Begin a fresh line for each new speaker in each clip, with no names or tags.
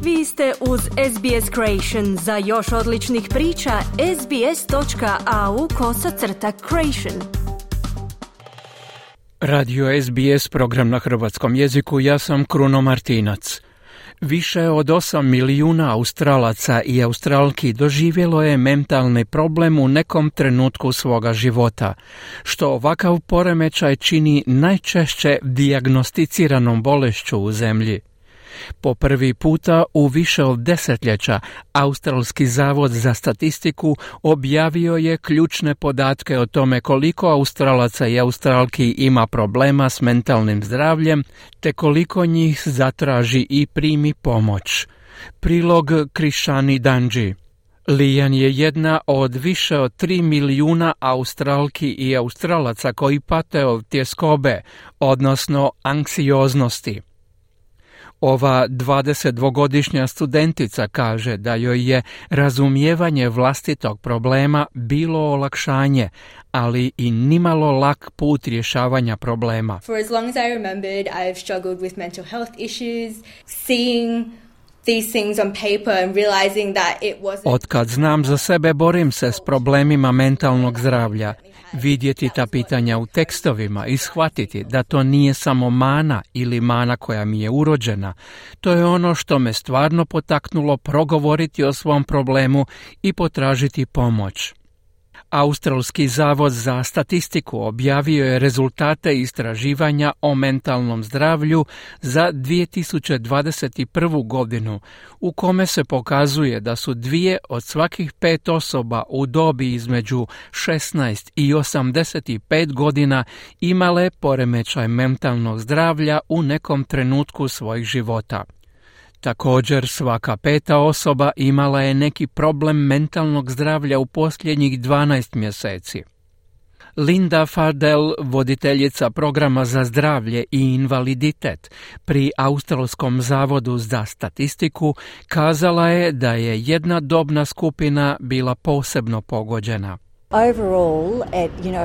Vi ste uz SBS Creation. Za još odličnih priča, sbs.au/creation.
Radio SBS, program na hrvatskom jeziku, ja sam Kruno Martinac. Više od 8 milijuna Australaca i Australki doživjelo je mentalni problem u nekom trenutku svoga života, što ovakav poremećaj čini najčešće dijagnosticiranom bolešću u zemlji. Po prvi puta u više od desetljeća Australski zavod za statistiku objavio je ključne podatke o tome koliko Australaca i Australki ima problema s mentalnim zdravljem, te koliko njih zatraži i primi pomoć. Prilog Krishani Danji. Lijan je jedna od više od 3 milijuna Australki i Australaca koji pate od tjeskobe, odnosno anksioznosti. Ova 22-godišnja studentica kaže da joj je razumijevanje vlastitog problema bilo olakšanje, ali i nimalo lak put rješavanja problema.
For as long as I remembered, I've struggled with mental health issues, seeing these things on paper and realizing that it wasn't...
Otkad znam za sebe, borim se s problemima mentalnog zdravlja. Vidjeti ta pitanja u tekstovima i shvatiti da to nije samo mana ili mana koja mi je urođena. To je ono što me stvarno potaknulo progovoriti o svom problemu i potražiti pomoć. Australski zavod za statistiku objavio je rezultate istraživanja o mentalnom zdravlju za 2021. godinu, u kome se pokazuje da su 2 od svakih 5 osoba u dobi između 16 i 85 godina imale poremećaj mentalnog zdravlja u nekom trenutku svojih života. Također, svaka 5. osoba imala je neki problem mentalnog zdravlja u posljednjih 12 mjeseci. Linda Fardell, voditeljica programa za zdravlje i invaliditet pri Australskom zavodu za statistiku, kazala je da je jedna dobna skupina bila posebno pogođena.
Overall,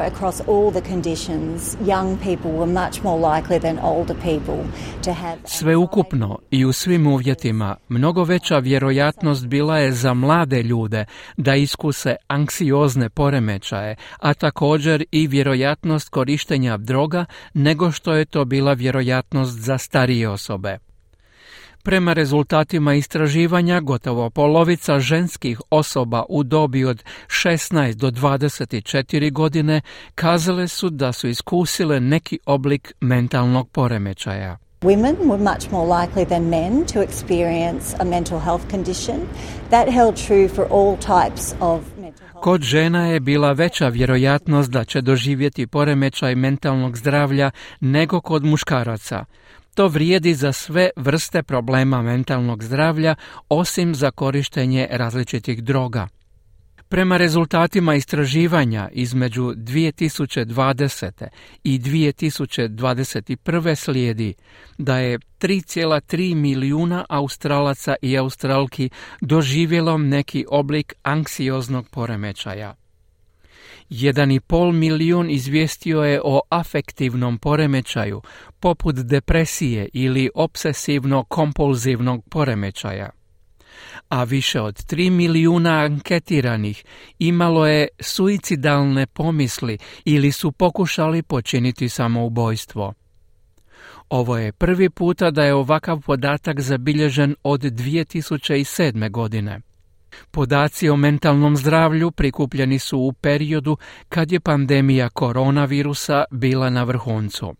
across all the conditions, young people were much more likely than older people to have...
Sveukupno i u svim uvjetima, mnogo veća vjerojatnost bila je za mlade ljude da iskuse anksiozne poremećaje, a također i vjerojatnost korištenja droga nego što je to bila vjerojatnost za starije osobe. Prema rezultatima istraživanja, gotovo polovica ženskih osoba u dobi od 16 do 24 godine kazale su da su iskusile neki oblik mentalnog poremećaja.
Women were much more likely than men to experience a mental health condition. That held true for all types of mental health.
Kod žena je bila veća vjerojatnost da će doživjeti poremećaj mentalnog zdravlja nego kod muškaraca. To vrijedi za sve vrste problema mentalnog zdravlja, osim za korištenje različitih droga. Prema rezultatima istraživanja između 2020. i 2021. slijedi da je 3,3 milijuna Australaca i Australki doživjelo neki oblik anksioznog poremećaja. 1,5 milijun izvijestio je o afektivnom poremećaju, poput depresije ili obsesivno-kompulzivnog poremećaja. A više od 3 milijuna anketiranih imalo je suicidalne pomisli ili su pokušali počiniti samoubojstvo. Ovo je prvi puta da je ovakav podatak zabilježen od 2007. godine. Podaci o mentalnom zdravlju prikupljeni su u periodu kad je pandemija koronavirusa bila na vrhuncu.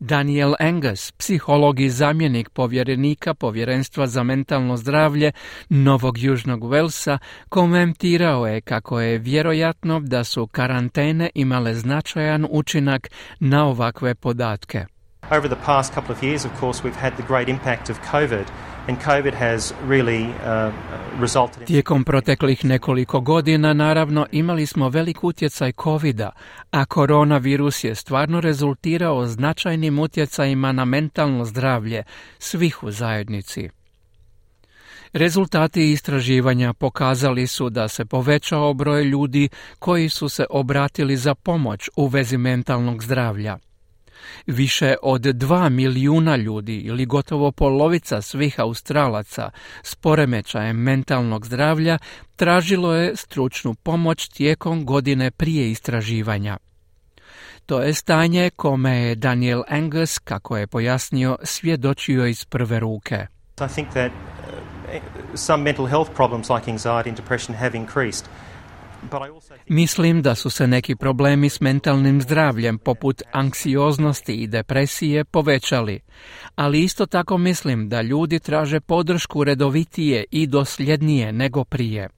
Daniel Angus, psiholog i zamjenik povjerenika Povjerenstva za mentalno zdravlje Novog Južnog Velsa, komentirao je kako je vjerojatno da su karantene imale značajan učinak na ovakve podatke.
Over the past couple of years, of course, we've had the great impact of COVID, and COVID has really resulted in...
Tijekom proteklih nekoliko godina, naravno, imali smo velik utjecaj COVID-a, a koronavirus je stvarno rezultirao značajnim utjecajima na mentalno zdravlje svih u zajednici. Rezultati istraživanja pokazali su da se povećao broj ljudi koji su se obratili za pomoć u vezi mentalnog zdravlja. Više od 2 milijuna ljudi ili gotovo polovica svih Australaca s poremećajem mentalnog zdravlja tražilo je stručnu pomoć tijekom godine prije istraživanja. To je stanje kome je Daniel Angus, kako je pojasnio, svjedočio iz prve ruke.
I think that some mental health problems like anxiety and depression have increased.
Mislim da su se neki problemi s mentalnim zdravljem, poput anksioznosti i depresije, povećali, ali isto tako mislim da ljudi traže podršku redovitije i dosljednije nego prije.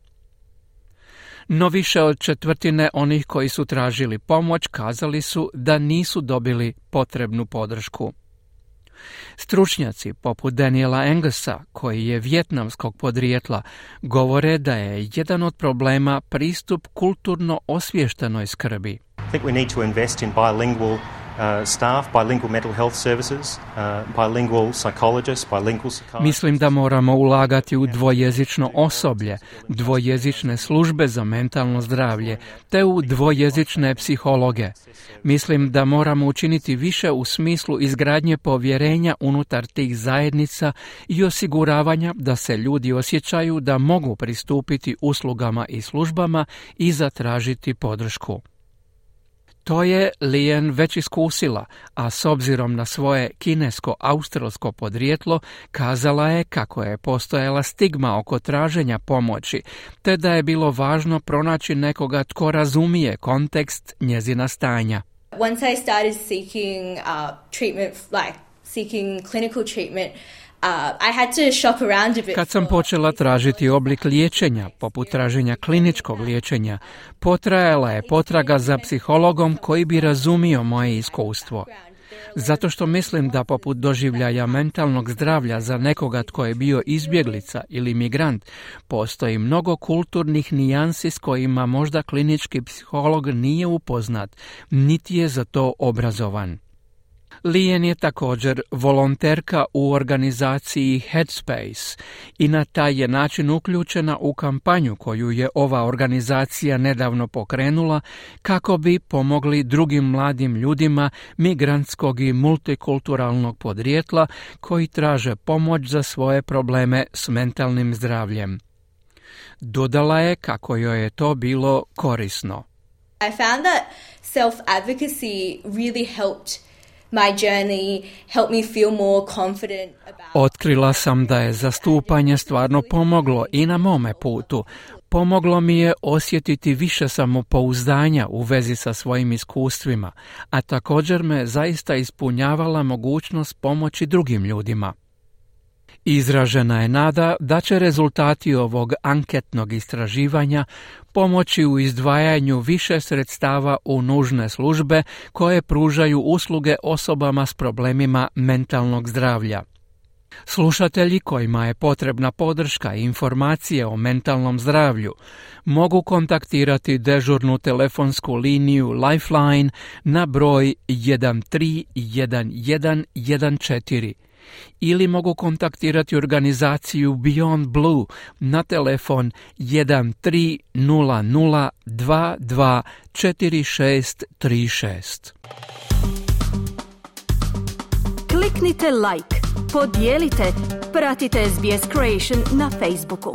No više od četvrtine onih koji su tražili pomoć kazali su da nisu dobili potrebnu podršku. Stručnjaci poput Daniela Angusa, koji je vijetnamskog podrijetla, govore da je jedan od problema pristup kulturno osviještenoj skrbi.
I think we need to invest in bilingual staff, bilingual mental health services, bilingual psychologists, bilingual psychiatrists.
Mislim da moramo ulagati u dvojezično osoblje, dvojezične službe za mentalno zdravlje, te u dvojezične psihologe. Mislim da moramo učiniti više u smislu izgradnje povjerenja unutar tih zajednica i osiguravanja da se ljudi osjećaju da mogu pristupiti uslugama i službama i zatražiti podršku. To je Lian već iskusila, a s obzirom na svoje kinesko-australsko podrijetlo kazala je kako je postojala stigma oko traženja pomoći, te da je bilo važno pronaći nekoga tko razumije kontekst njezina stanja.
Once I started seeking treatment, like seeking clinical treatment, I had to shop around a bit.
Kad sam počela tražiti oblik liječenja, poput traženja kliničkog liječenja, potrajala je potraga za psihologom koji bi razumio moje iskustvo. Zato što mislim da poput doživljaja mentalnog zdravlja za nekoga tko je bio izbjeglica ili migrant, postoji mnogo kulturnih nijansi s kojima možda klinički psiholog nije upoznat, niti je za to obrazovan. Lian je također volonterka u organizaciji Headspace i na taj je način uključena u kampanju koju je ova organizacija nedavno pokrenula kako bi pomogli drugim mladim ljudima migrantskog i multikulturalnog podrijetla koji traže pomoć za svoje probleme s mentalnim zdravljem. Dodala je kako joj je to bilo korisno.
I found that self-advocacy really helped my journey, helped me feel more confident about...
Otkrila sam da je zastupanje stvarno pomoglo i na mome putu. Pomoglo mi je osjetiti više samopouzdanja u vezi sa svojim iskustvima, a također me zaista ispunjavala mogućnost pomoći drugim ljudima. Izražena je nada da će rezultati ovog anketnog istraživanja pomoći u izdvajanju više sredstava u nužne službe koje pružaju usluge osobama s problemima mentalnog zdravlja. Slušatelji kojima je potrebna podrška i informacije o mentalnom zdravlju mogu kontaktirati dežurnu telefonsku liniju Lifeline na broj 131114 ili mogu kontaktirati organizaciju Beyond Blue na telefon 1300224636.
Kliknite like, podijelite, pratite SBS Creation na Facebooku.